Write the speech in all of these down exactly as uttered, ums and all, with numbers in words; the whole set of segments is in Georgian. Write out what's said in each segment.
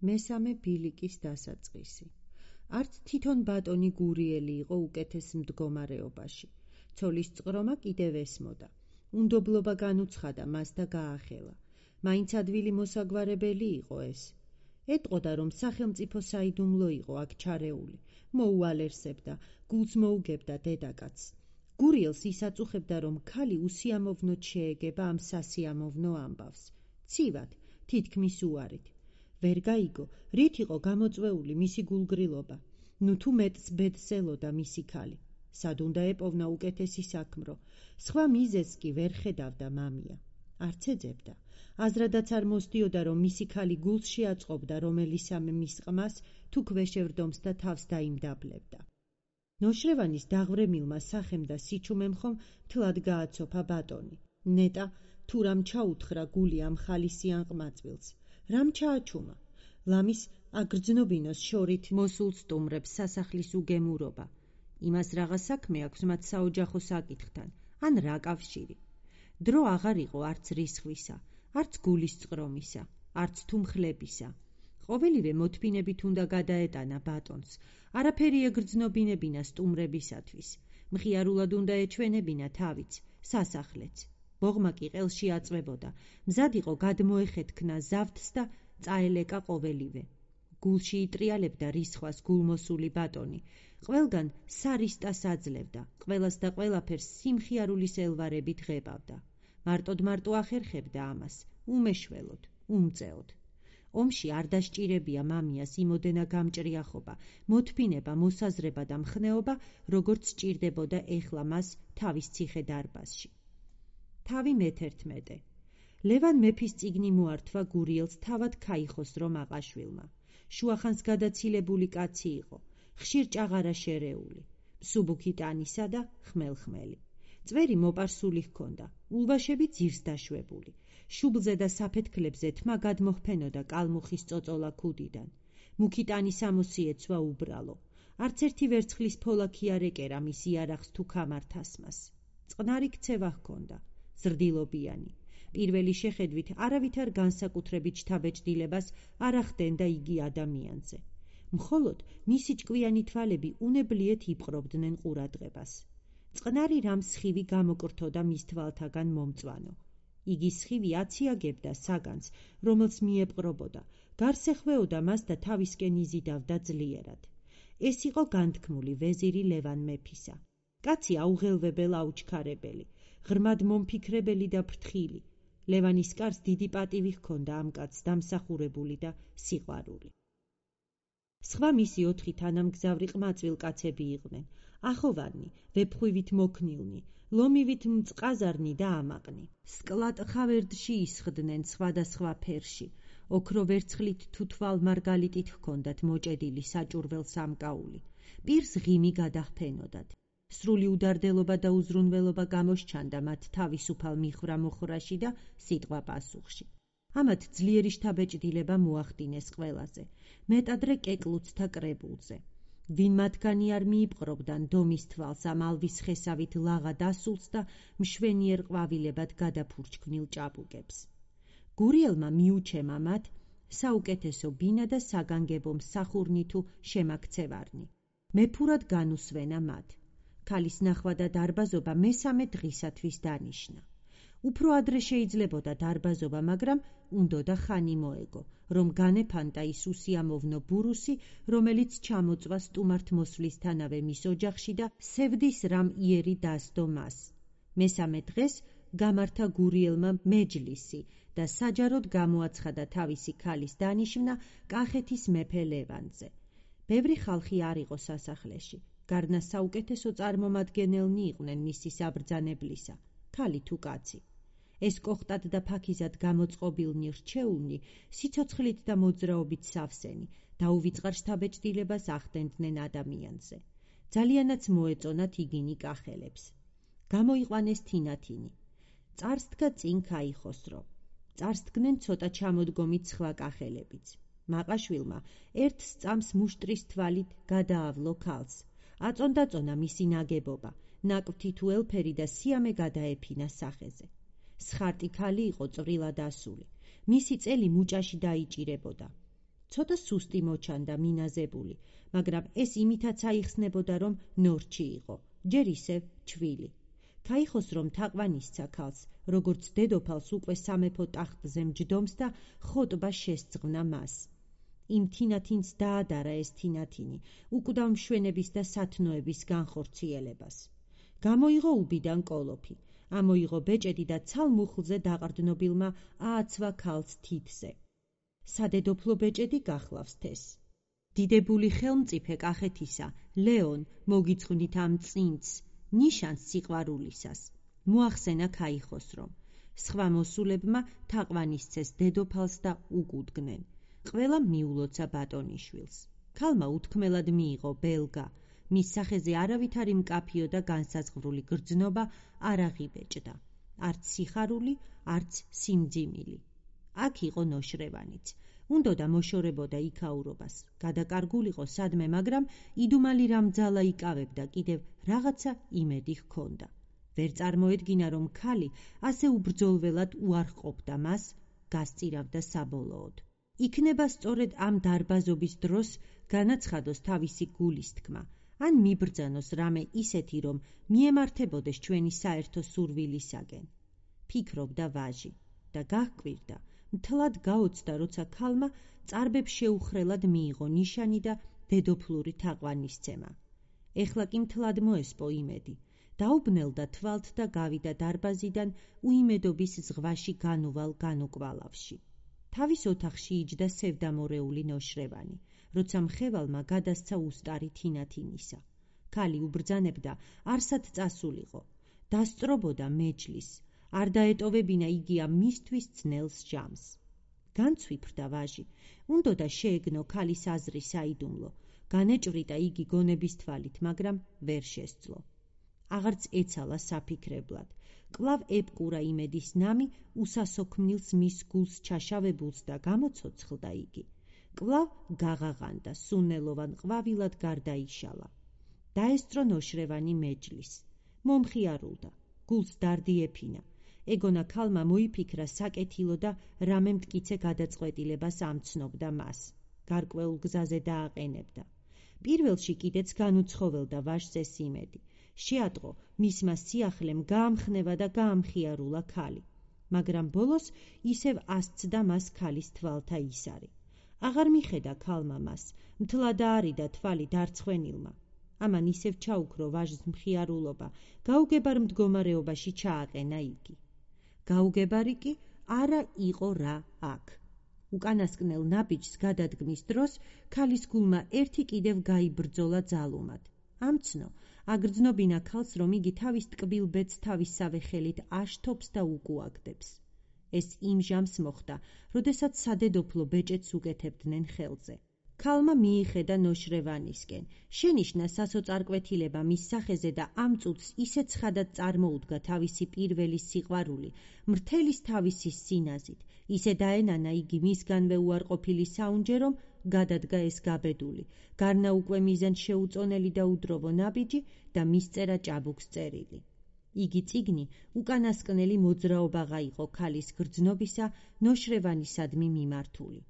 მესამე ბილიკის დასაწყისი. არც თვითონ ბატონი გურიელი იყო უკეთეს მდგომარეობაში. ცოლის წყრომა კიდევ ესმოდა. უნდობლობა განუცხადა მას და გაახელა. მაინც ადვილი მოსაგვარებელი იყო ეს. ეტყოდა, რომ სახელმწიფო საიდუმლო იყო აქ ჩარეული. მოუალერსებდა, გულს მოუგებდა დედაკაცს. გურიელს ისაწუხებდა, რომ ქალი უსიამოვნოდ შეეგება ამ სასიამოვნო ამბავს. ცივად, თითქმის უარით. ვერ გაიგო, რით იყო გამოწვეული მისი გულგრილობა. ნუ თუ მეტს ბედს ელოდა მისი ქალი. სად უნდა ეპოვნა უკეთესი საქმრო. სხვა მიზეზს კი ვერ ხედავდა მამია. არც ეძებდა. აზრადაც არ მოსდიოდა, რომ მისი ქალი გულს შეაწყობდა რომელისამე მის ყმას, თუ ქვეშევრდომს და თავს დაიმდაბლებდა. ნოშრევანის დაღვრემილმა სახემ და სიჩუმემ ხომ მთლად გააცოფა ბატონი. ნეტა თუ რამ ჩაუთხრა გული ამ ხალისიან ყმაწვილს. რამ ჩააჩუმა? ლამის აგრძნობინოს შორით მოსულ სტუმრებს სასახლის უგემურობა. იმას რაღა საქმე აქვს მათ საოჯახო საკითხთან, ან რა კავშირი. დრო აღარ იყო არც რისხვისა, არც გულის წყრომისა, არც თუ მხლებისა. ყოველივე მოთმინებით უნდა გადაეტანა ბატონს. არაფერი ეგრძნობინებინა სტუმრებისათვის. მხიარულად უნდა ეჩვენებინა თავიც, სასახლეც. ბოღმა კი ყელში აწვებოდა. მზად იყო გადმოეხეთქნა ზავთს და წაელეკა ყოველივე. გულში იტრიალებდა რისხვას გულმოსული ბატონი. ყველგან სარისტას აძლევდა, ყველას და ყველაფერს სიმხიარულის ელვარებით ღებავდა. მარტოდ მარტო ახერხებდა ამას, უმეშველოდ, უმწეოდ. ომში არ დასჭირებია მამიას იმოდენა გამჭრიახობა, მოთმინება, მოსაზრება და მხნეობა, როგორც სჭირდებოდა ეხლა მას თავის ციხე-დარბაზში. თავი მეთერთმეტე. ლევან მეფის წიგნი მოართვა გურიელს თავად ქაიხოსრო მაყაშვილმა. შუახანს გადაცილებული კაცი იყო, ხშირ ჭაღარა შერეული, მსუბუქი ტანისა და ხმელხმელი. წვერი მოპარსული ჰქონდა, ულვაშები ძირს დაშვებული. შუბლზე და საფეთქლებზე თმა გადმოჰფენოდა კალმუხის წოწოლა ქუდიდან. მუქი ტანის ამოსიეცვა უბრალო. არც ერთი ვერცხლის ფოლაქი არ ეკერა მის იარაღს თუ ქამართასმას. წყნარი ქცევა ჰქონდა, ზრდილობიანი. პირველი შეხედვით არავითარ განსაკუთრებით შთაბეჭდილებას არ ახდენდა იგი ადამიანზე. მხოლოდ მისი ჭკვიანი თვალები უნებლიეთ იპყრობდნენ ყურადღებას. წყნარი რამ სხივი გამოკრთოდა მის თვალთაგან მომწვანო. იგი სხივი აციაგებდა საგანს, რომელს მიეპყრობოდა, გარს ეხვეოდა მას და თავისკენ იზიდავდა ძლიერად. ეს იყო განთქმული ვეზირი ლევან მეფისა. კაცი აუღელვებელ აუჩქარებელი, ღრმად მომფიქრებელი და ფრთხილი. ლევანის კარს დიდი პატივი ჰქონდა ამ კაცს დამსახურებული და სიყვარული. სხვა მისი ოთხი თანამგზავრი ყმაწვილ კაცები იყვნენ, ახოვანი, ვეფხვივით მოქნილნი, ლომივით მწყაზარნი და ამაყნი. სკლატ ხავერდში ისხდნენ სხვადასხვა ფერში, ოქრო ვერცხლით თუ თვალ მარგალიტით ჰქონდათ მოჭედილი საჭურվել სამკაული. პირს ღიმი გადაჰფენოდათ. სრული უდარდელობა და უზრუნველობა გამოსჩანდა მათ თავისუფალ მიხრა-მოხრაში და სიტყვა პასუხში. ამათ ძლიერი შთაბეჭდილება მოახდინეს ყველაზე, მეტადრე კეკლუცთა კრებულზე. ვინ მათგანი არ მიიპყრობდა დომის თვალს ამ ალვის ხესავით ლაღა დასულს და მშვენიერ ყვავილებად გადაფურჩქვნილ ჭაბუკებს. გურიელმა მიუჩემა მათ საუკეთესო ბინა და საგანგებო მსახურნი თუ შემაქცევარნი. მეფურად განუსვენა მათ. ქალის ნახვა და დარბაზობა მესამე დღისათვის დანიშნა. უფრო ადრე შეიძლებოდა დარბაზობა, მაგრამ უნდოდა ხანი მოეგო, რომ განეფანტა ის უსიამოვნო ბურუსი, რომელიც ჩამოწვა სტუმართ მოსვლისთანავე მის ოჯახში და სევდის რამ იერი დასდო მას. მესამე დღეს გამართა გურიელმა მეჯლისი და საჯაროდ გამოაცხადა თავისი ქალის დანიშვნა კახეთის მეფე ლევანზე. ბევრი ხალხი არ იყო სასახლეში. გარდა საუკეთესო წარმომადგენელნი იყვნენ მისი საბრძანებლისა, ქალი თუ კაცი. ეს კოხტად და ფაქიზად გამოწყობილნი რჩეულნი, სიცოცხლით და მოძრაობით სავსენი, დაუვიწყარ შთაბეჭდილებას ახდენდნენ ადამიანზე. ძალიანაც მოეწონათ იგინი კახელებს. გამოიყვანეს თინათინი. წარსდგა წინ ქაიხოსრო. წარსდგნენ ცოტა ჩამოდგომით სხვა კახელებიც. მაყაშვილმა ერთ სწამს მუშტრის თვალით გადაავლო ქალს. აწონდაწონა მისი ნაგებობა, ნაკვთი თუ ელფერი და სიამე გადაეფინა სახეზე. სხარტი ქალი იყო წვრილად ასული. მისი წელი მუჭაში დაიჭირებოდა. ცოტა სუსტი მოჩანდა, მინაზებული, მაგრამ ეს იმითაც აიხსნებოდა, რომ ნორჩი იყო, ჯერ ისევ ჩვილი. ქაიხოს რომ თაყვანისცა ქალს, როგორც დედოფალს უკვე სამეფო ტახტზე მჯდომს და ხოტბა შესძღვნა მას. იმ თინათინს დაადარა ეს თინათინი, უკვდავ მშვენების და სათნოების განხორციელებას. გამოიღო უბიდან კოლოფი, ამოიღო ბეჭედი და ცალმუხლზე დაყრდნობილმა ააცვა ქალს თითზე. სადედოფლო ბეჭედი გახლავს თეს. დიდებული ხელმწიფე კახეთისა, ლეონ, მოგიძღვნით ამ წინც, ნიშანს სიყვარულისას. მოახსენა ქაიხოს რომ სხვა მოსულებმა თაყვანისცეს დედოფალს და უკუდგნენ. ყველა მიულოცა ბატონიშვილს. ქალმა უთქმელად მიიღო ბელგა, მის სახეზე არავითარი მკაფიო და განსაზღვრული გრძნობა არ აღიბეჭდა, არც სიხარული, არც სიმძიმილი. აქ იყო ნოშრევანიც. უნდოდა მოშორებოდა იქაურობას, გადაკარგულიყო სადმე, მაგრამ იდუმალი რამძალა იკავებდა, კიდევ რაღაცა იმედი ჰქონდა. ვერ წარმოედგინა, რომ ქალი ასე უბრძოლველად უარყოფდა მას, გასწირავდა საბოლოოდ. იქნება სწორედ ამ დარბაზობის დროს განაცხადოს თავისი გულის თქმა, ან მიბრძანოს რამე ისეთი, რომ მიემართებოდეს ჩვენი საერთო სურვილისაგენ. ფიქრობდა ვაჟი და გაჰკვირდა, მთლად გაოცდა, როცა ქალმა წარბებს შეუხრელად მიიღო ნიშანი და დედოფლური თაყვანისცემა. ეხლა კი მთლად მოესპო იმედი. დაუბნელდა თვალთ და გავიდა დარბაზიდან უიმედობის ზღვაში განუვალ განუკვალავში. თავის ოთახში იჯდა სევდამორეული ნოშრევანი, როცა მხევალმა გადასცა უსტარი თინათინისა. ქალი უბრძანებდა, არსად წასულიყო. დასწრობოდა მეჯლის, არ დაეტოვებინა იგი ამ მისთვის ძნელს ჟამს. განცვიფრდა ვაჟი, უნდოდა შეეგნო ქალის აზრი საიდუმლო, განეჭვრიტა იგი გონების თვალით, მაგრამ ვერ შესძლო. აღარც ეცალა საფიქრებლად. კვლავ ებკურა იმედის ნამი უსასოქმნილს მის გულს ჩაშავებულს და გამოცოცხლდა იგი. კვლავ გაღაღანდა, სუნელოვან ყვავილად გარდაიშალა. დაესწრო ნოშრევანი მეჯლის. მომხიარულდა, გულს დარდი ეფინა. ეგონა ქალმა მოიფიქრა საკეთილო და რამე მტკიცე გადაწყვეტილებას ამცნობდა მას. გარკვეულ გზაზე დააყენებდა. პირველში კიდეც განუცხოველდა ვაჟს ეს იმედი. შეატყო მისმა სიახლემ გაამხნევა და გაამხიარულა ქალი, მაგრამ ბოლოს ისევ ასცდა მას ქალის თვალთა ისარი. აღარ მიხედა ქალმა მას, მთლად აარიდა თვალი დარცხვენილმა. ამან ისევ ჩაუქრო ვაჟს მხიარულობა, გაუგებარ მდგომარეობაში ჩააყენა იგი. გაუგებარი კი არა იყო რა აქ. უკანასკნელ ნაბიჯს გადადგმის დროს ქალის გულმა ერთი კიდევ გაიბრძოლა ძალუმად. ამცნო, აგრძნობინა ქალს, რომ იგი თავის ტკბილ ბედს თავისსავე ხელით აშთობს და უკუაგდებს. ეს იმ ჟამს მოხდა, როდესაც სადედოფლო ბეჭედს უკეთებდნენ ხელზე. ქალმა მიიხედა ნოშრევანისკენ, შენიშნა სასოწარკვეთილება მის სახეზე და ამ წუთს ისე ცხადად წარმოუდგა თავისი პირველი სიყვარული, მრთელის თავისი სინაზით, ისე დაენანა იგი მისგანვე უარყოფილი საუნჯე, რომ გადადგა ეს გაბედული, გარნა უკვე მიზანს შეუწონელი და უდროვო ნაბიჯი და მისწერა ჭაბუკს წერილი. იგი წიგნი უკანასკნელი მოძრაობაღა იყო ქალის გრძნობისა ნოშრევანისადმი მიმართული.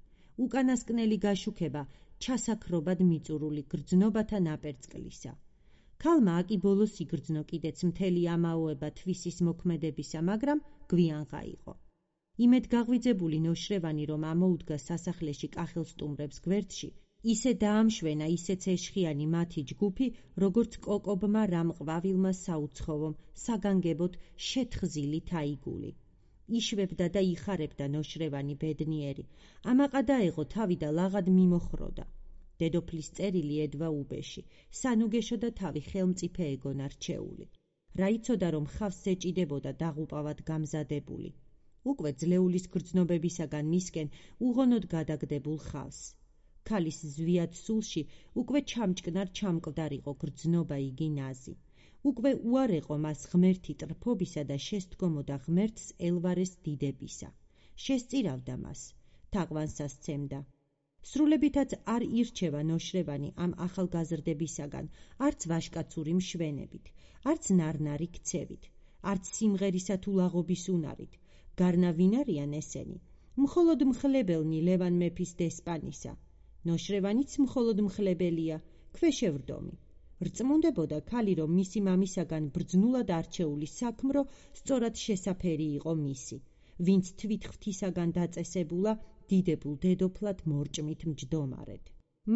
უკანასკნელი გაშუქება ჩასაქრობად მიწურული გრძნობათა ნაპერწკლისა. ქალმა აკი ბოლოს იგრძნო კიდეც მთელი ამაოება თვისის მოქმედებისა, მაგრამ გვიან გაიყო. იმედ გაღვიძებული ნოშრევანი, რომ ამოუდგა სასახლეში კახელსტუმრებს გვერდში, ისე დაამშვენა ისეც ეშხიანი მათი ჯგუფი, როგორც კოკობმა რამ ყვავილმა საუცხოვომ საგანგებოდ შეთხზილი თაიგული. იშვებდა და იხარებდა ნოშრევანი ბედნიერი, ამაყა დაეღო თავი და ლაღად მიმოხროდა. დედოფლის წერილი ედვა უბეში, სანუგეშო და თავი ხელმწიფე ეგონა რჩეული. რა იცოდა, რომ ხავს ეჭიდებოდა დაღუპავად გამზადებული. უკვე ძლეულის გრძნობებისაგან მისკენ უღონოდ გადაგდებულ ხავს. ქალის ზვიად სულში უკვე ჩამჭკნარ ჩამკვდარიყო გრძნობა იგი ნაზი. უკვე უარეყო მას ღმერთი ტრფობისა და შესდგომოდა ღმერთს ელვარეს დიდებისა. შესწირავდა მას, თაყვანსა სცემდა. სრულებითაც არ ირჩევა ნოშრევანი ამ ახალგაზრდებისაგან, არც ვაშკაცური მშვენებით, არც ნარნარი ქცევით, არც სიმღერისა თუ ლაღობის უნარით. გარნა ვინ არიან ესენი? მხოლოდ მხლებელნი ლევან მეფის დესპანისა. ნოშრევანიც მხოლოდ მხლებელია, ქვეშევრდომი. რწმუნდებოდა ქალი, რომ მისი მამისაგან ბრძნულად არჩეული საქმრო სწორად შესაფერი იყო მისი, ვინც თვით ღვთისაგან დაწესებულა დიდებულ დედოფლად მორჭმით მჯდომარედ.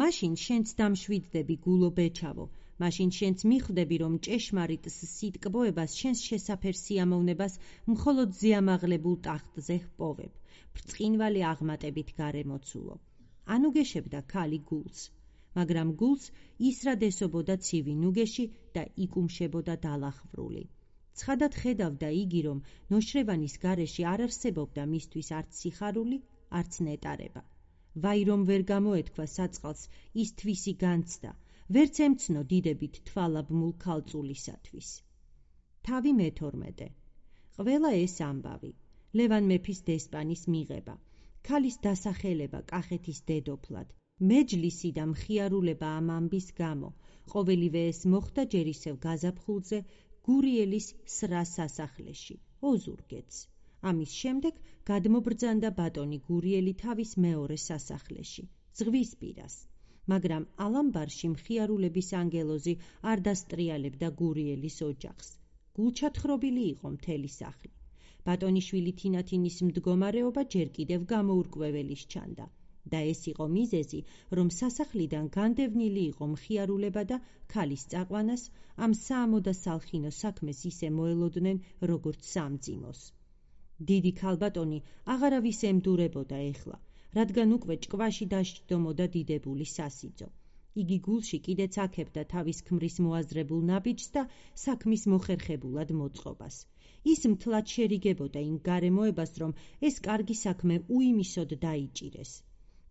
მაშინ შენც დამშვიდდები, გულო ბეჩავო, მაშინ შენც მიხვდები, რომ ჭეშმარიტს სიტკბოებას შენს შესაფერ სიამოვნებას მხოლოდ ზეამაღლებულ ტახტზე ჰპოვებ, ბრწყინვალე აღმატებით გარემოცულო. ანუ გეშებდა ქალი გულს, მაგრამ გულს ისრად ესობოდა ცივი ნუგეში და იკუმშებოდა დალახვრული. ცხადად ხედავდა იგი, რომ ნოშრევანის გარეში არ არსებობდა მისთვის არც სიხარული, არც ნეტარება. ვაი, რომ ვერ გამოეთქვა საწყალს ის თვისი განცდა, ვერც ემცნო დიდებით თვალაბმულ ქალწულისათვის. თავი მეთორმეტე. ყველა ეს ამბავი, ლევან მეფის დესპანის მიღება, ქალის დასახელება კახეთის დედოფლად, მეჯლისი და მხიარულება ამ ამბის გამო, ყოველივე ეს მოხდა ჯერ ისევ გაზაფხულზე გურიელის სრა სასახლეში, ოზურგეთს. ამის შემდეგ გადმობრძანდა ბატონი გურიელი თავის მეორე სასახლეში, ზღვისპირას, მაგრამ ალამბარში მხიარულების ანგელოზი არ დასტრიალებდა გურიელის ოჯახს. გულჩათხრობილი იყო მთელი სახლი. ბატონიშვილი თინათინის მდგომარეობა ჯერ კიდევ გამოურკვეველი სჩანდა და ეს იყო მიზეზი, რომ სასახლიდან განდევნილი იყო მხიარულება და ქალის წაყვანას ამ საამო და სალხინო საქმეს ისე მოელოდნენ, როგორც სამძიმოს. დიდი ქალბატონი აღარავის ემდურებოდა ეხლა, რადგან უკვე ჭკვაში დაშჯდომოდა დიდებული სასიძო. იგი გულში კიდეც აქებდა თავის ქმრის მოაზრებულ ნაბიჯს და საქმის მოხერხებულად მოწყობას. ის მთლად შერიგებოდა იმ გარემოებას, რომ ეს კარგი საქმე უიმისოდ დაიჭირეს.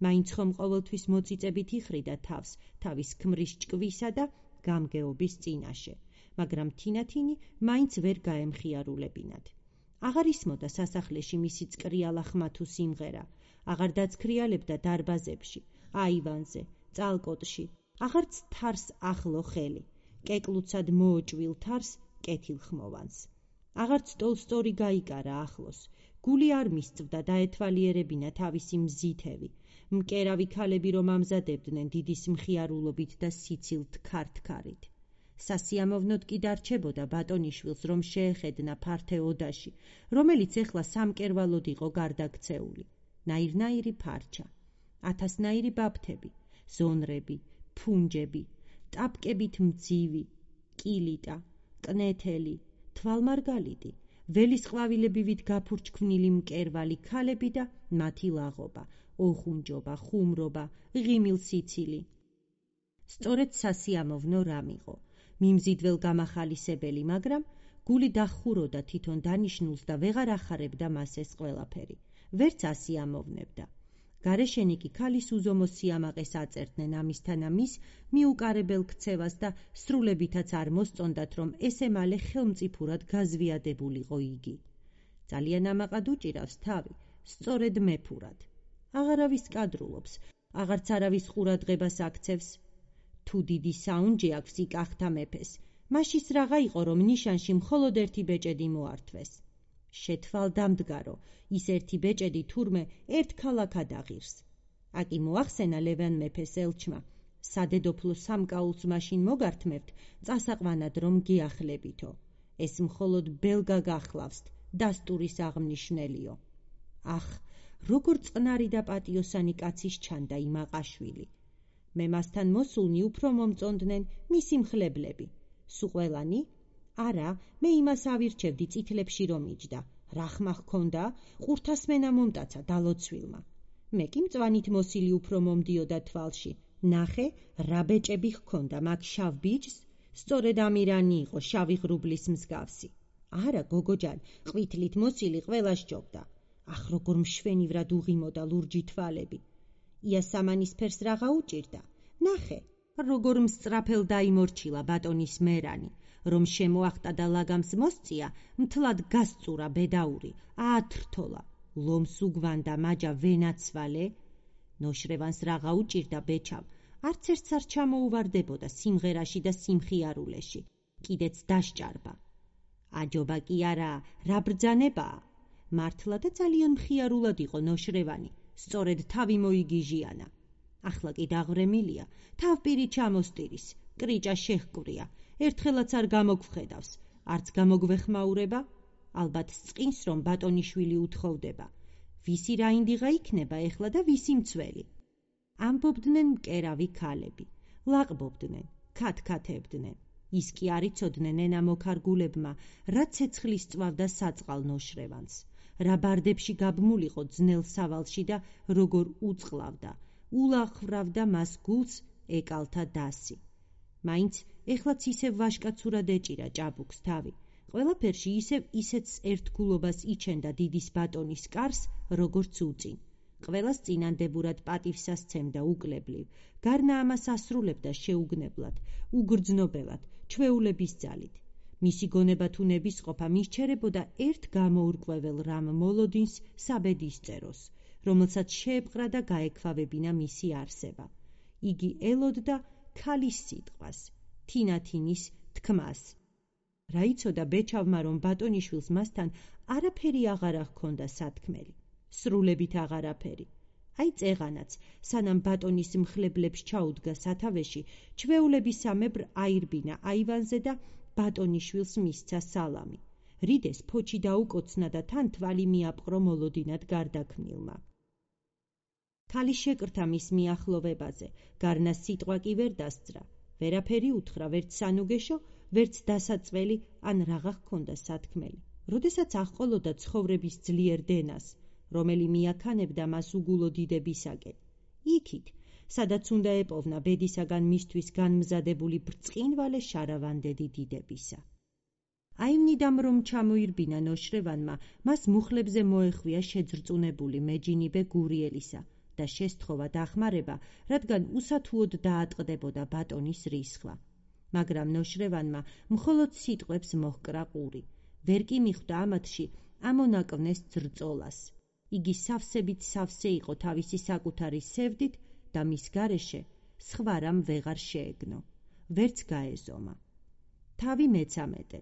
მაინც ხომ ყოველთვის მოწიწებით იხრიდა თავს თავის ქმრის ჭკვისა და გამგეობის წინაშე, მაგრამ თინათინი მაინც ვერ გაემხიარულებინათ. აღარ ისმოდა სასახლეში მისი წკრიალა ხმა თუ სიმღერა, აღარ დაცქრიალებდა დარბაზებში, აივანზე, წალკოტში, აღარც თარს ახლო ხელი, კეკლუცად მოოჭვილ თარს კეთილხმოვანს. აღარც ტოლსტორი გაიკარა ახლოს, გული არ მისწვდა დაეთვალიერებინა თავისი მზითევი, მკერავი ქალები რომ ამზადებდნენ დიდის მხიარულობით და სიცილთ ქართქარით. სასიამოვნოდ კი დარჩებოდა ბატონიშვილს, რომ შეეხედნა ფართე ოდაში, რომელიც ეხლა სამკერვალოდ იყო გარდაქცეული. ნაირნაირი ფარჩა, ათასნაირი ბაფთები, ზონრები, ფუნჯები, ტაპკებით მძივი, კილიტა, კნეთელი, თვალმარგალიტი, ველის ყვავილებივით გაფურჩქმნილი მკერვალი ქალები და მათი ლაღობა, ოხუნჯობა, ხუმრობა, ღიმილსიცილი. სწორედ სასიამოვნო რამ იყო, მიმზიდველ გამახალისებელი, მაგრამ გული დახუროდა თვითონ დანიშნულს და ვეღარ ახარებდა მას ეს ყველაფერი, ვერც ასიამოვნებდა. გარეშენი კი ქალის უზომო სიამაყეს აწერდნენ ამისთან ამის მიუკარებელ ქცევას და სრულებითაც არ მოსწონდათ, რომ ესე მალე ხელმწიფურად გაზვიადებულიყო იგი. ძალიან ამაყად უჭირავს თავი, სწორედ მეფურად. აღარავის კადრულობს, აღარც არავის ყურადღებას აქცევს. თუ დიდი საუნჯე აქვს იკახთა მეფეს, მაშის რაღა იყო, რომ ნიშანში მხოლოდ ერთი ბეჭედი მოართვეს. შეთვალდამდგარო, ის ერთი ბეჭედი თურმე ერთ ქალაქად აღირს. აკი მოახსენა ლევან მეფეს ელჩმა, სადედოფლო სამკაულს მაშინ მოგართმევთ, წასაყვანად რომ გიახლებითო. ეს მხოლოდ ბელგა გახლავსთ, დასტურის აღმნიშვნელიო. ახ, როგორ წყნარი და პატიოსანი კაცის ჩანდა იმ აყაშვილი. მე მასთან მოსულნი უფრო მომწონდნენ მისი მხლებლები. სუყველანი? არა, მე იმას ავირჩევდი წითლებში რომ იჯდა. რა ხმა ჰქონდა? ყურთასმენა მომტაცა დალოცვილმა. მე კი მწვანით მოსილი უფრო მომდიოდა თვალში. ნახე, რა ბეჭები ჰქონდა მაგ შავ ბიჭს? სწორედ ამირანი იყო, შავი ღრუბლის მსგავსი. არა, გოგოჯან, ყვითლით მოსილი ყველა სჯობდა. ახ, როგორ მშვენივრად უღიმოდა ლურჯი თვალები. იასამანისფერს რაღა უჭირდა. ნახე, როგორ მსწრაფელ დაიმორჩილა ბატონის მერანი, რომ შემოახტა და ლაგამს მოსწია, მთლად გასწურა ბედაური, აათრთოლა, ლომს უგვანდა მაჯა ვენაცვალე. ნოშრევანს რაღა უჭირდა ბეჩავ, არც ერთს არ ჩამოუვარდებოდა სიმღერაში და სიმხიარულეში, კიდეც დასჭარბა. აჯობა კი არა, რა ბრძანებაა. მართლა და ძალიან მხიარულად იყო ნოშრევანი, სწორედ თავი მოიგიჟიანა. ახლა კი დაღვრემილია, თავპირი ჩამოსტირის, კრიჭა შეჰკვრია, ერთხელაც არ გამოგвხედავს, არც გამოგვეხმაურება, ალბათ წყინს, რომ ბატონიშვილი უთხოვდება. ვისი რაინდიღა იქნება ეხლა და ვისი მცველი? ამბობდნენ მკერავი ქალები, ლაყბობდნენ, ქათქათებდნენ. ის კი არ იცოდნენ ენა მოქარგულებმა, რა ცეცხლის წვავდა საწყალ ნოშრევანს, რა ბარდებში გაბმულიყო ძნელ სავალში და როგორ უწყლავდა, ულახვრავდა მას გულს ეკალთა დასი. მაინც ეხლაც ისევ ვაშკაცურად ეჭირა ჭაბუკს თავი, ყველაფერში ისევ ისეთს ერთგულობას იჩენდა დიდის ბატონის კარს, როგორც უწინ. ყველას წინანდებურად პატივს ასცემდა უკლებლივ, გარნა ამას ასრულებდა შეუგნებლად, უგრძნობელად, ჩვეულების ძალით. მისი გონება თუ ნებისყოფა მისჩერებოდა ერთ გამოურკვეվել რამ მოლოდინს საბედის წეროს, რომელსაც შეეპყრა და გაექვავებინა მისი არსება. იგი ელოდდა ქალის სიტყვას, თინათინის თქმას. რა იცოდა ბეჩავმა, რომ ბატონიშვილს მასთან არაფერი აღარა ჰქონდა სათქმელი, სრულებით აღარაფერი. აი წეღანაც, სანამ ბატონის მხლებლებს ჩაუდგა სათავეში, ჩვეულებისამებრ აირბინა აივანზე და ბატონიშვილს მისცა სალამი. რიდეს ფოჩი დაუკოცნა და თან თვალი მიაპყრო მოლოდინად გარდაქმნილმა. ქალი შეკრთა მის მიახლოვებაზე, გარნა სიტყვა კი ვერ დასძრა, ვერაფერი უთხრა, ვერც სანუგეშო, ვერც დასაწველი ან რაღა ჰქონდა სათქმელი. როდესაც აღყოლოდა ცხოვრების ძლიერ დენას, რომელი მიაქანებდა მას უგულო დიდებისაკენ. იქით, სადაც უნდა ეპოვნა ბედისაგან მისთვის განმზადებული ბრწყინვალე შარავანდედი დიდებისა. აიმნიდამ რომ ჩამოირბინა ნოშრევანმა, მას მუხლებზე მოეხვია შეძრწუნებული მეჯინიბე გურიელისა და შესთხოვა დახმარება, რადგან უსათუოდ დაატყდებოდა ბატონის რისხვა. მაგრამ ნოშრევანმა მხოლოდ სიტყვებს მოჰკრა ყური, ვერ კი მიხვდა ამათში ამონაკვნეს ძრწოლას. იგი სავსებით სავსე იყო თავისი საკუთარი სევდით და მის გარეშე სხვა რამ ვეღარ შეეგნო, ვერც გაეზომა. თავი მეცამეტე.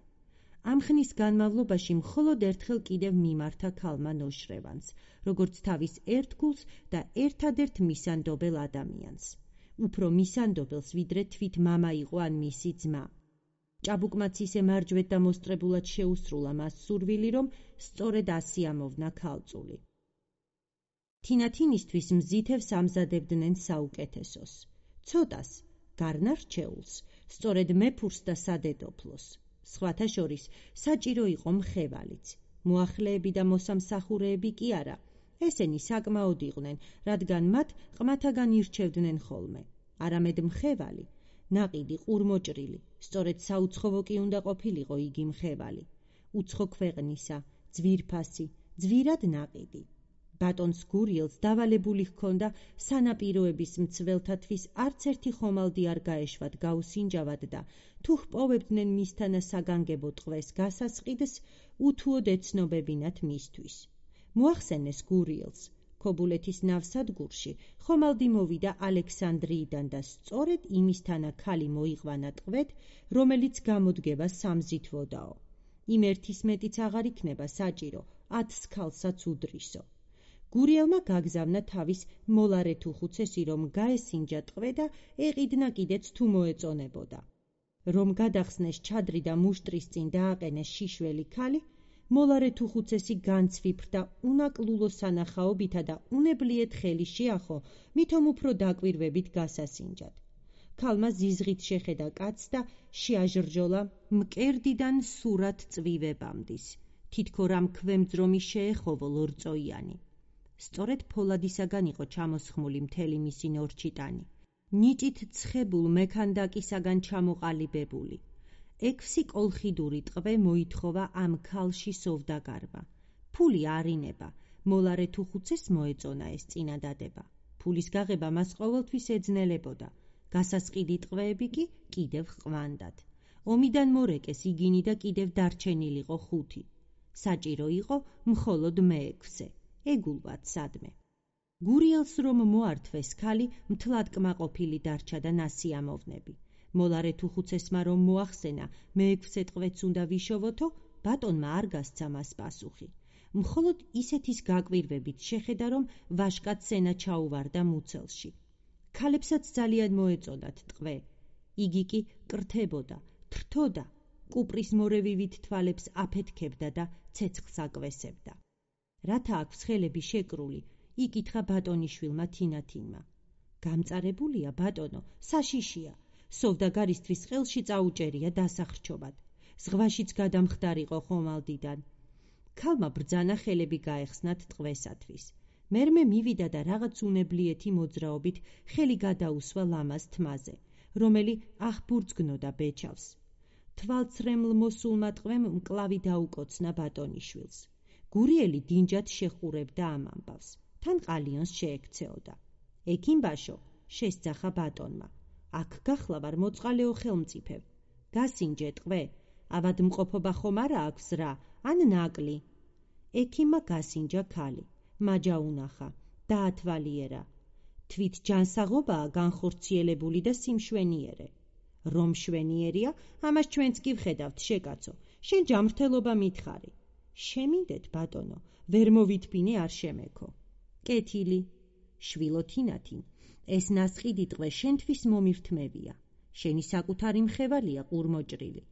ამ ხნის განმავლობაში მხოლოდ ერთხელ კიდევ მიმართა ქალმა ნოშრევანს, როგორც თავის ერთგულს და ერთადერთ მისანდობელ ადამიანს. უფრო მისანდობელს, ვიდრე თვით მამა იყო ან მისი ძმა. ჭაბუკმაც ისე მარჯვედ და მოსწრებულად შეუსრულა მას სურვილი, რომ სწორედ ასი ამოვნა ქალწული. თინათინისთვის მზითევს ამზადებდნენ საუკეთესოს. ცოტას, გარნა რჩეულს, სწორედ მეფურს და სადედოფლოს. სხვათა შორის საჭირო იყო მხევალიც. მოახლეები და მოსამსახურეები კი არა. ესენი საკმაოდ იყვნენ, რადგან მათ ყმათაგან ირჩევდნენ ხოლმე. არამედ მხევალი, ნაყიდი ყურმოჭრილი, სწორედ საუცხოვო კი უნდა ყოფილიყო იგი მხევალი. უცხო ქვეყნისა, ძვირფასი, ძვირად ნაყიდი. ბატონს გურიელს დავალებული ჰქონდა სანაპიროების მცველთათვის არც ერთი ხომალდი არ გაეშვათ გაუსინჯავად და თუ ჰპოვებდნენ მისთანა საგანგებო ტყვეს გასასყიდს, უთუოდ ეცნობებინათ მისთვის. მოახსენეს გურიელს, ქობულეთის ნავსადგურში ხომალდი მოვიდა ალექსანდრიიდან და სწორედ იმისთანა ქალი მოიყვანა ტყვედ, რომელიც გამოდგება სამზითვოდაო. იმ ერთის მეტიც აღარ იქნება საჭირო, ათს ქალსაც უდრისო. გურიელმა გაგზავნა თავის მოლარეთუხუცესი, რომ გაესინჯა ტყვე და ეყიდნა კიდეც თუ მოეწონებოდა. რომ გადახსნეს ჩადრი და მუშტრის წინ დააყენეს შიშველი ქალი, მოლარეთუხუცესი განცვიფრდა უნაკლულო სანახაობითა და უნებლიეთ ხელი შეახო, მითომ უფრო დაკვირვებით გასასინჯად. ქალმა ზიზღით შეხედა კაცს და შეაჟრჯოლა მკერდიდან სურად წვივებამდის, თითქო რამ ქვემძრომი შეეხოვო ლორწოიანი. სწორედ ფოლადისაგან იყო ჩამოსხმული მთელი მისი ნორჩიტანი, ნიჭით ცხებულ მექანდაკისაგან ჩამოყალიბებული. ექვსი კოლხიდური ტყვე მოითხოვა ამ ქალში სოვდაგარმა. ფული არინება, მოლარეთუხუცეს მოეწონა ეს წინადადება. ფულის გაღება მას ყოველთვის ეძნელებოდა, გასასყიდი ტყვეები კი კიდევ ჰყვანდათ. ომიდან მორეკეს იგინი და კიდევ დარჩენილიყო ხუთი. საჭირო იყო მხოლოდ მეექვსე. ეგულვად სადმე. გურიელს რომ მოართვეს ქალი, მთლად კმაყოფილი დარჩა და ნასიამოვნები. მოლარეთუხუცესმა რომ მოახსენა, მეექვსე ტყვეც უნდა ვიშოვოთო, ბატონმა არ გასცა მას პასუხი. მხოლოდ ისეთის გაკვირვებით შეხედა, რომ ვაშკაც სენა ჩაუვარდა მუცელში. ქალებსაც ძალიან მოეწონათ ტყვე. იგი კი კრთებოდა, თრთოდა, კუპრის მორევივით თვალებს აფეთქებდა და ცეცხლს აკვესებდა. რათა აქვს ხელები შეკრული, იკითხა ბატონიშვილმა თინათინმა. გამწარებულია ბატონო, საშიშია. სოვდაგარისთვის ხელში წაუჭერია დასახრჩობად. ზღვაშიც გადამხდარიყო ხომალდიდან. ქალმა ბრძანა ხელები გაეხსნათ ტყვესათვის. მერმე მივიდა და რაღაც უნებლიეთი მოძრაობით ხელი გადაუსვა ლამაზ თმაზე, რომელი აღბურძგნოდა ბეჭავს. თვალცრემლ მოსულმა ტყვემ მკლავი დაუკოცნა ბატონიშვილს. გურიელი დინჯად შეხურებდა ამ ამბავს. თან ყალიონს შეექცეოდა. ექიმბაშო, შესძახა ბატონმა. აქ გახლა ვარ მოწყალეო ხელმწიფევ. გასინჯე ტყვე, ავადმყოფობა ხომ არა აქვს რა, ან ნაკლი. ექიმმა გასინჯა ქალი, მაჯა უნახა, დაათვალიერა. თვით ჯანსაღობაა განხორციელებული და სიმშვენიერე. რომ შვენიერია, ამას ჩვენც კი ვხედავთ შეკაცო, შენ ჯამრთელობა მითხარი. შემინდეთ ბატონო, ვერ მოვითბინე არ შემექო. კეთილი, შვილო თინათინ, ეს ნასყიდი ტყვე შენთვის მომირთმევია. შენი საკუთარი მხევალია ყურმოჭრილი.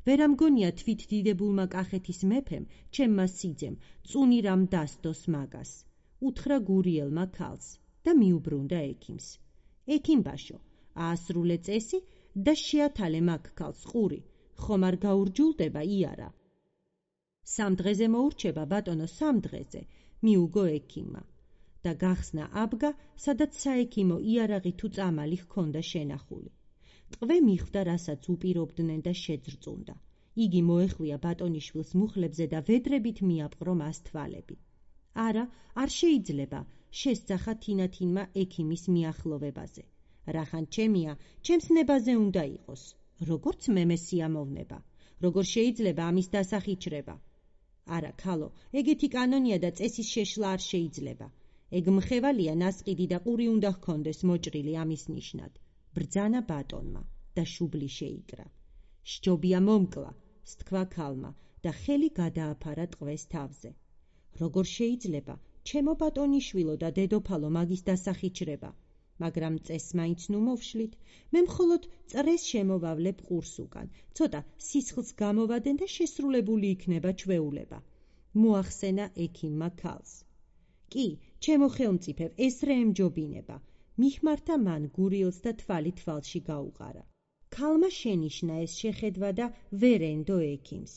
ვერ ამგონია თვით დიდებულმა კახეთის მეფემ, ჩემმა სიძემ, წუნი რამ დასდოს მაგას. უთხრა გურიელმა ქალს და მიუბრუნდა ექიმს. ექიმბაშო, აასრულე წესი და შეათალე მაგ ქალს ყური, ხომ არ გაურჯულდება იარა. სამ დღეზე მოურჩება ბატონო, სამ დღეზე, მიუგო ექიმმა. და გახსნა აბგა, სადაც საექიმო იარაღი თუ წამალი ჰქონდა შენახული. ტყვე მიხვდა, რასაც უპირობდნენ და შეძრწუნდა. იგი მოეხვია ბატონიშვილს მუხლებზე და ვედრებით მიაპყრო მას თვალები. არა, არ შეიძლება, შესძახა თინათინმა ექიმის მიახლოვებაზე. რახან ჩემია, ჩემს ნებაზე უნდა იყოს. როგორც მე სიამოვნება, როგორ შეიძლება ამის დასახიჩრება? არა, ქალო, ეგეთი კანონია და წესის შეშლა არ შეიძლება. ეგ მხევალია ნასყიდი და ყური უნდა ჰქონდეს მოჭრილი ამის ნიშნად. ბრძანა ბატონმა და შუბლი შეიკრა. სჯობია მომკლა, სთქვა ქალმა და ხელი გადააფარა ტყვეს თავზე. როგორ შეიძლება, ჩემო ბატონიშვილო და დედოფალო მაგის დასახიჩრება? მაგრამ წესს მაინც ნუ მოვშლით, მე მხოლოდ წრეს შემოვავლებ ყურს უკან, ცოტა სისხლს გამოვადენ და შესრულებული იქნება ჩვეულება. მოახსენა ექიმმა ქალს. კი, ჩემო ხელმწიფევ, ესრე ემჯობინება. მიხმართა მან გურიელს და თვალი თვალში გაუყარა. ქალმა შენიშნა ეს შეხედვა და ვერ ენდო ექიმს.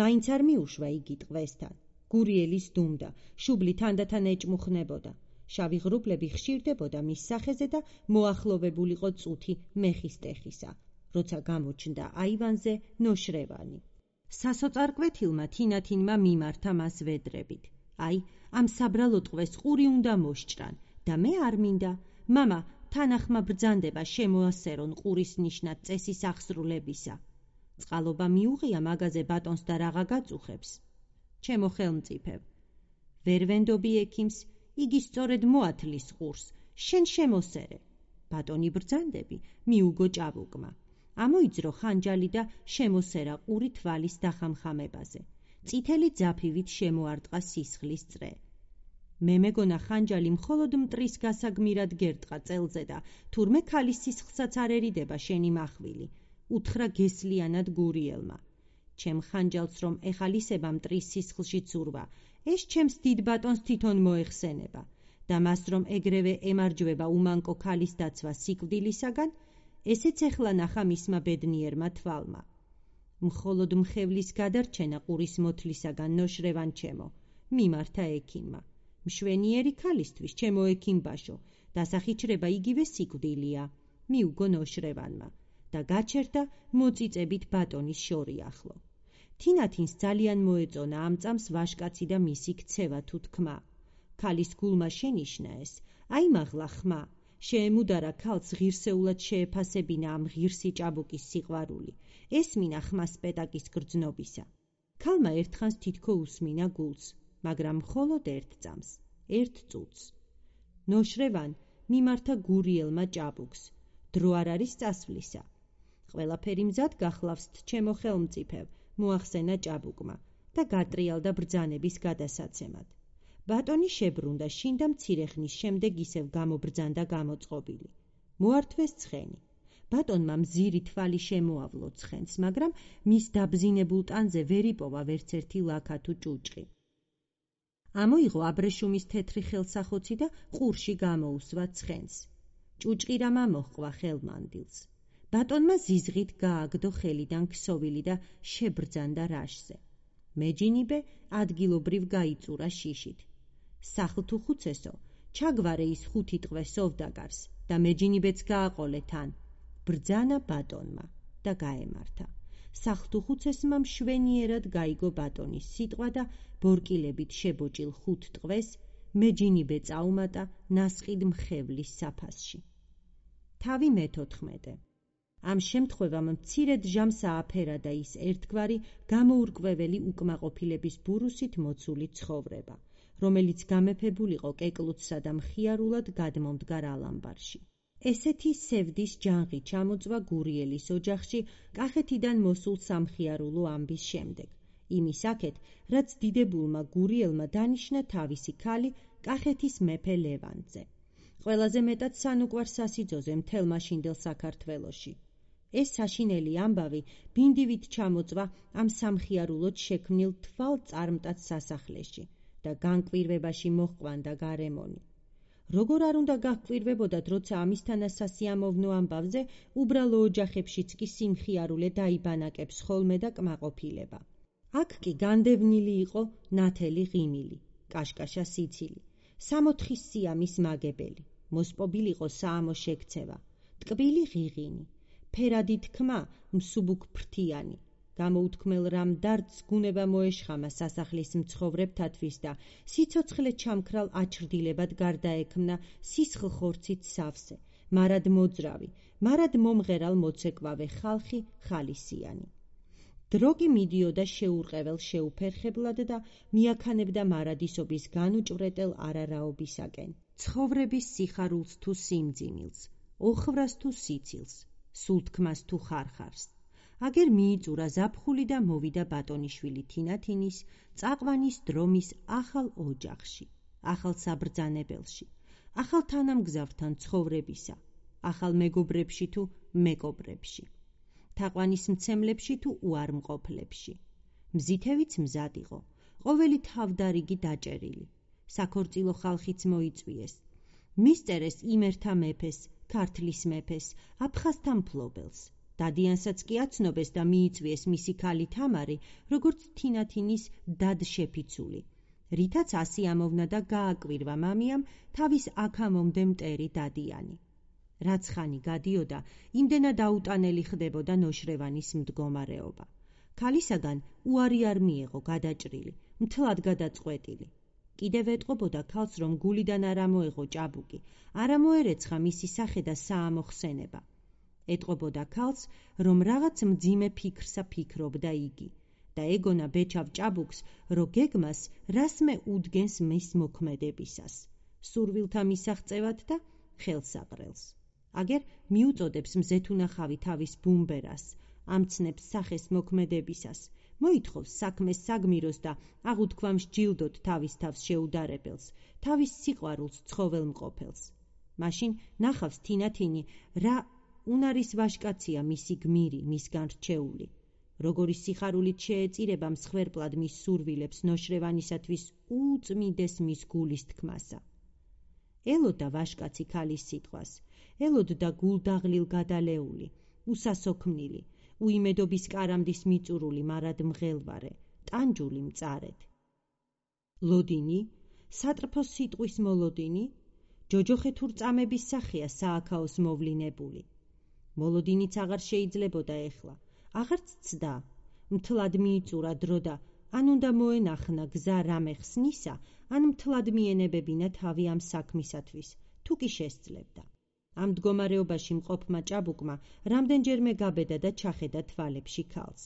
მაინც არ მიუშვა იგი ტყვესთან. გურიელის დუმდა, შუბლი თანდათან ეჭმუხნებოდა. შავი ღრუბლები ხშირდებოდა მის სახეზე და მოახლოვებულიყო წუთი მეხის ტეხისა, როცა გამოჩნდა აივანზე ნოშრევანი. სასოწარკვეთილმა თინათინმა მიმართა მას ვედრებით. აი, ამ საბრალო ტყვეს ყური უნდა მოსჭრან და მე არ მინდა. მამა, თანახმა ბრძანდება შემოასერონ ყურის ნიშნად წესის აღსრულებისა. წყალობა მიუღია მაგაზე ბატონს და რაღა გაწუხებს. ჩემო ხელმწიფევ, ვერ ვენდობი ექიმს, იგი სწორედ მოათლის ყურს, შენ შემოსერე. ბატონი ბრძანდები, მიუგო ჭაბუკმა. ამოიძრო ხანჯალი და შემოსერა ყური თვალის დახამხამებაზე. წითელი ძაფივით შემოარტყა სისხლის წრე. მე მეგონა ხანჯალი მხოლოდ მტრის გასაგმირად გერტყა წელზე და თურმე ქალის სისხლსაც არ ერიდება შენი მახვილი, უთხრა გესლიანად გურიელმა. ჩემ ხანჯალს რომ ეხალისება მტრის სისხლში ცურვა, ეს ჩემს დიდ ბატონს თვითონ მოეხსენება და მას რომ ეგრევე ემარჯვება უმანკო ქალის დაცვა სიკვდილისაგან, ესეც ეხლა ნახა მისმა ბედნიერმა თვალმა. მხოლოდ მხევლის გადარჩენა ყურის მოთლისაგან ნოშრევან ჩემო, მიმართა ექიმმა. მშვენიერი ქალისთვის, ჩემო ექიმბაშო, დასახიჩრება იგივე სიკვდილია, მიუგო ნოშრევანმა და გაჩერდა მოწიწებით ბატონის შორი ახლო. თინათინს ძალიან მოეწონა ამ წამს ვაშკაცი და მისი ქცევა თუ თქმა. ქალის გულმა შენიშნა ეს, აი მაღლა ხმა, შეემუდარა ქალს ღირსეულად შეეფასებინა ამ ღირსი ჭაბუკის სიყვარული, ესმინა ხმა სპეტაკის გრძნობისა. ქალმა ერთხანს თითქო უსმინა გულს, მაგრამ მხოლოდ ერთ წამს, ერთ წუთს. ნოშრევან მიმართა გურიელმა ჭაბუკს, დრო არ არის წასვლისა. ყველაფერი მზად გახლავსთ, ჩემო ხელმწიფევ, მოახსენა ჭაბუკმა და გატრიალდა ბრძანების გადასაცემად. ბატონი შებრუნდა შინ და მცირე ხნის შემდეგ ისევ გამობრძანდა გამოწყობილი. მოართვეს ცხენი. ბატონმა მზირი თვალი შემოავლო ცხენს, მაგრამ მის დაბზინებულ ტანზე ვერ იპოვა ვერც ერთი ლაქა თუ ჭუჭყი. ამოიღო აბრეშუმის თეთრი ხელსახოცი და ყურში გამოუსვა ცხენს. ჭუჭყი რამ ამოჰყვა ხელმანდილს. ბატონმა ზიზღით გააგდო ხელიდან ქსოვილი და შებრძანდა რაშზე. მეჯინიბე ადგილობრივ გაიწურა შიშით. სახლ თუ ხუცესო, ჩაგვარე ის ხუთი ტყვე სოვდაგარს და მეჯინიბეც გააყოლე თან. ბრძანა ბატონმა და გაემართა. სახლ თუ ხუცესმა მშვენიერად გაიგო ბატონის სიტყვა და ბორკილებით შებოჭილ ხუთ ტყვეს მეჯინიბე წაუმატა ნასყიდ მხევლის საფასში. თავი მეთოთხმეტე. ამ შემთხვევამ მცირედ ჟამს ააფერადა ის ერთგვარი გამოურკვეველი უკმაყოფილების ბურუსით მოცული ცხოვრება, რომელიც გამეფებულიყო კეკლუცსა და მხიარულად გადმომდგარ ალამბარში. ესეთი სევდის ჯანღი ჩამოწვა გურიელის ოჯახში კახეთიდან მოსულ სამხიარულო ამბის შემდეგ, იმის აქეთ, რაც დიდებულმა გურიელმა დანიშნა თავისი ქალი კახეთის მეფე ლევანტზე. ყველაზე მეტად სანუკვარ სასიძოზე მთელ მაშინდელ საქართველოში. ეს საშინელი ამბავი ბინდივით ჩამოწვა ამ სამხიარულოდ შექმნილ თვალწარმტაც სასახლეში და განკვირვებაში მოჰყვანდა გარემონი. როგორ არ უნდა გაჰკვირვებოდათ, როცა ამისთანა სასიამოვნო ამბავზე უბრალო ოჯახებშიც კი სიმხიარულე დაიბანაკებს ხოლმე და კმაყოფილება. აქ კი განდევნილი იყო ნათელი ღიმილი, კაშკაშა სიცილი, სამოთხის სიამის მაგებელი, მოსპობილიყო საამო შექცევა, ტკბილი ღიღინი, ფერადი თქმა მსუბუქ ფრთიანი. გამოუთქმელ რამ დარდს გუნება მოეშხამა სასახლის მცხოვრებთათვის და სიცოცხლე ჩამქრალ აჩრდილებად გარდაექმნა სისხლხორცით სავსე, მარად მოძრავი, მარად მომღერალ მოცეკვავე ხალხი ხალისიანი. დრო კი მიდიოდა შეურყეվել შეუფერხებლად და მიაქანებდა მარადისობის განუჭვრეტელ არარაობისაკენ, ცხოვრების სიხარულს თუ სიმძიმილს, ოხრას თუ სიცილს, სულთქმას თუ ხარხარს. აგერ მიიწურა ზაფხული და მოვიდა ბატონიშვილი თინათინის წაყვანის დრომის ახალ ოჯახში, ახალ საბრძანებელში, ახალ თანამგზავრთან ცხოვრებისა, ახალ მეგობრებში თუ მეკობრებში, თაყვანის მცემლებში თუ უარმყოფლებში. მზითევიც მზად იყო, ყოველი თავდარიგი დაჭერილი, საქორწილო ხალხიც მოიწვიეს. მისწერეს იმერთა მეფეს, ქართლის მეფეს, აფხაზთა მფლობელს. დადიანსაც კი აცნობეს და მიიწვიეს მისი ქალი თამარი, როგორც თინათინის დადშეფიცული, რითაც ასიამოვნა და გააკვირვა მამიამ თავის აქამომდე მტერი დადიანი. რაც ხანი გადიოდა, იმდენად აუტანელი ხდებოდა ნოშრევანის მდგომარეობა. ქალისაგან უარი არ მიეღო გადაჭრილი, მთლად გადაწყვეტილი. კიდევ ეტყობოდა ქალს, რომ გულიდან არ ამოეღო ჭაბუკი, არ ამოერეცხა მისი სახე და საამო ხსენება. ეტყობოდა ქალს, რომ რაღაც მძიმე ფიქრსა ფიქრობდა იგი და ეგონა ბეჭავ ჭაბუკს, რო გეგმას რასმე უდგენს მის მოქმედებისას, სურვილთა მისაღწევად და ხელსაყრელს. აგერ მიუწოდებს მზეთუნახავი თავის ბუმბერას, ამცნებს სახეს მოქმედებისას, მოითხოვს საქმეს საგმიროს და აღუთქვამს ჯილდოთ თავის თავს შეუდარებელს, თავის სიყვარულს ცხოველმყოფელს. მაშინ ნახავს თინათინი, რა უნარის ვაშკაცია მისი გმირი, მისგან რჩეული. როგორი სიხარულით შეეწირება მსხვერპლად მის სურვილებს ნოშრევანისათვის უწმიდეს მის გულის თქმასა. ელოდა ვაშკაცი ქალის სიტყვას, ელოდა გულდაღლილ გადალეული, უსასოქმნილი, უიმედობის კარამდის მიწურული მარად მღელვარე, ტანჯული მწარედ. ლოდინი, სატრფოს სიტყვის მოლოდინი, ჯოჯოხეთურ წამების სახეა სააქაოს მოვლინებული. მოლოდინიც აღარ შეიძლებოდა ეხლა, აღარც ცდა, მთლად მიიწურა დრო და ან უნდა მოენახნა გზა რამე ხსნისა, ან მთლად მიენებებინა თავი ამ საქმისათვის, თუ კი შესძლებდა. ამ მდგომარეობაში მყოფმა ჭაბუკმა რამდენჯერმე გაბედა და ჩახედა თვალებში ქალს.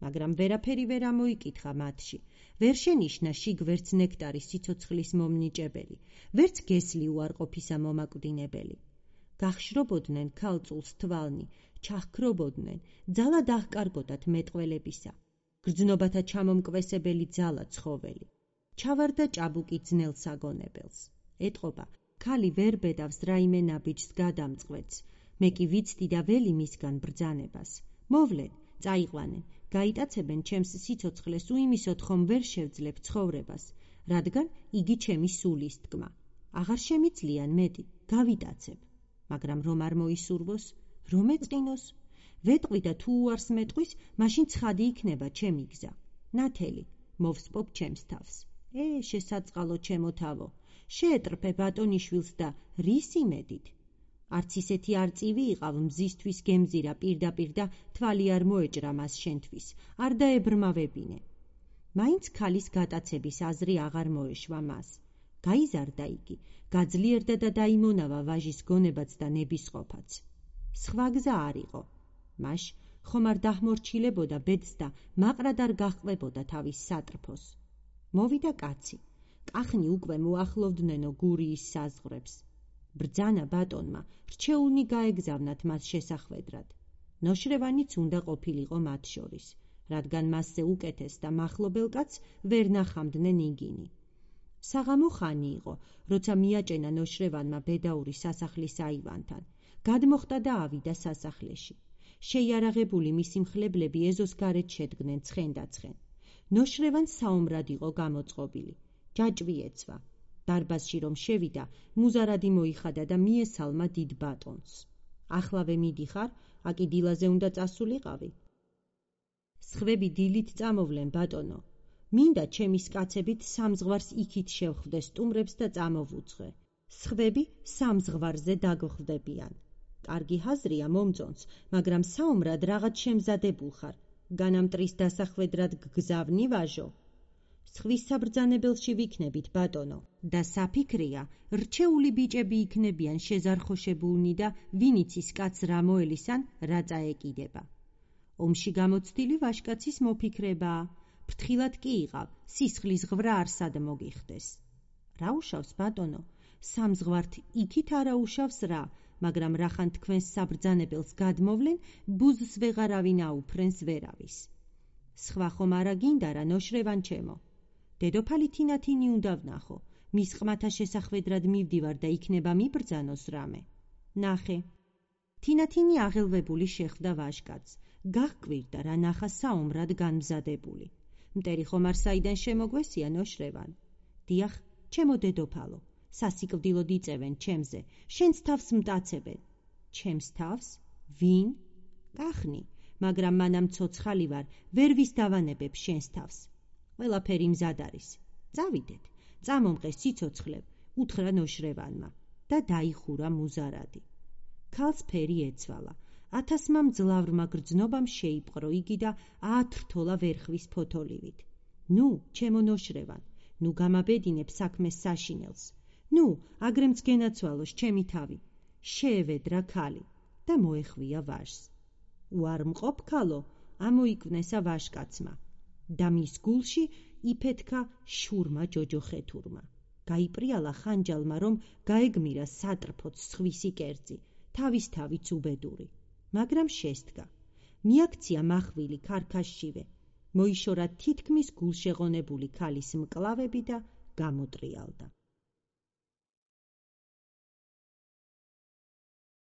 მაგრამ ვერაფერი ვერ ამოიკითხა მათში, ვერ შენიშნა შიგ ვერც ნექტარის სიცოცხლის მომნიჭებელი, ვერც გესლი უარყოფისა მომაკვდინებელი. გახშრობოდნენ ქალწულს თვალნი, ჩაჰქრობოდნენ, ძალა დაჰკარგოდათ მეტყველებისა, გრძნობათა ჩამომკვესებელი ძალა ცხოველი. ჩავარდა ჭაბუკი ძნელ საგონებელს. ეტყობა, ქალი ვერ ბედავს რაიმე ნაბიჯს გადამწყვეტს, მე კი ვიცდი და ველი მისგან ბრძანებას. მოვლენ, წაიყვანენ, გაიტაცებენ ჩემს სიცოცხლეს, უიმისოდ ხომ ვერ შევძლებ ცხოვრებას, რადგან იგი ჩემი სულის თქმა. აღარ შემიძლიან მეტი, გავიტაცებ. მაგრამ რომ არ მოისურვოს, რომ ეწყინოს, ვეტყვი და თუ უარს მეტყვის, მაშინ ცხადი იქნება ჩემი გზა. ნათელი, მოვსპობ ჩემს თავს. ე, შესაწყალო ჩემო თავო, შეეტრფე ბატონიშვილს და რის იმედით? არც ისეთი არწივი იყავ მზისთვის გემზირა პირდაპირ და თვალი არ მოეჭრა მას შენთვის, არ დაებრმავებინე. მაინც ქალის გატაცების აზრი აღარ მოეშვა მას. გაიზარდა იგი, გაძლიერდა და დაიმონავა ვაჟის გონებაც და ნებისყოფაც. სხვა გზა არ იყო. მაშ ხომ არ დაჰმორჩილებოდა ბედს და მაყრად არ გაჰყვებოდა თავის სატრფოს. მოვიდა კაცი, კახნი უკვე მოახლოვდნენო გურიის საზღვრებს. ბრძანა ბატონმა, რჩეულნი გაეგზავნათ მას შესახვედრად. ნოშრევანიც უნდა ყოფილიყო მათ შორის, რადგან მასზე უკეთეს და მახლობელ კაცს ვერ ნახამდნენ იგინი. საღამო ხანი იყო, როცა მიაჭენა ნოშრევანმა ბედაური სასახლის აივანთან. გადმოხტა და ავიდა სასახლეში. შეიარაღებული მისი მხლებლები ეზოს გარეთ შედგნენ ცხენდა-ცხენ. ნოშრევანს საომრად იყო გამოწყობილი. ჯაჭვი ეცვა. დარბაზში რომ შევიდა, მუზარადი მოიხადა და მიესალმა დიდ ბატონს. ახლავე მიდიხარ, აკი დილაზე უნდა წასულიყავი. სხვები დილით წამოვლენ ბატონო. მინდა ჩემის კაცებით სამზღვარს იქით შევხვდე სტუმრებს და წამოვუძღე. სხვები სამზღვარზე დაგხვდებიან. კარგი ჰაზრია მომწონს, მაგრამ საომრად რაღაც შემზადებულ ხარ. განამტრის დასახვედრად გგზავნი ვაჟო? სხვის საბრძანებელში ვიქნებით ბატონო და საფიქრია, რჩეული ბიჭები იქნებიან შეზარხოშებულნი და ვინიცის კაც რა მოელისან რა წაეკიდება. ომში გამოცდილი ვაჟკაცის მოფიქრებაა. ფრთხილად კი იყავ, სისხლის ღვრა არ სად მოგიხდეს. რა უშავს ბატონო? სამზღვართ იქით არა უშავს რა, მაგრამ რახან თქვენს საბრძანებელს გადმოვლენ, ბუზს ვეღარავინ აუფრენს ვერავის. სხვა ხომ არა გინდა რა ნოშრევან ჩემო? დედოფალი თინათინი უნდა ვნახო, მის ყმათა შესახვედრად მივდივარ და იქნება მიბრძანოს რამე. ნახე. თინათინი აღელვებული შეხვდა ვაჟკაცს, გაჰკვირდა რა ნახა საომრად განმზადებული. მტერი ხომ არ საიდან შემოგვესია ნოშრევან? დიახ, ჩემო დედოფალო, სასიკვდილოდ იწევენ ჩემზე, შენს თავს მტაცებენ. ჩემს თავს? ვინ? კახნი, მაგრამ მანამ ცოცხალი ვარ, ვერ ვის დავანებებ შენს თავს. ყველაფერი მზად არის. წავიდეთ, წამომყე სიცოცხლებ, უთხრა ნოშრევანმა და დაიხურა მუზარადი. ქალს ფერი ეცვალა. ათასმა მძლავრმა გრძნობამ შეიპყრო იგი და აათრთოლა ვერხვის ფოთოლივით. ნუ, ჩემო ნოშრევან, ნუ გამაბედინებ საქმეს საშინელს. ნუ, აგრემც გენაცვალოს ჩემი თავი. შეევედრა ქალი და მოეხვია ვაჟს. უარ მყოფ ქალო, ამოიკვნესა ვაჟკაცმა და მის გულში იფეთქა შურმა ჯოჯოხეთურმა. გაიპრიალა ხანჯალმა, რომ გაეგმირა სატრფოც სხვისი კერძი, თავის თავიც უბედური. მაგრამ შესდგა. მიაქცია მახვილი ქარქაშშივე. მოიშორა თითქმის გულშეღონებული ქალის მკლავები და გამოტრიალდა.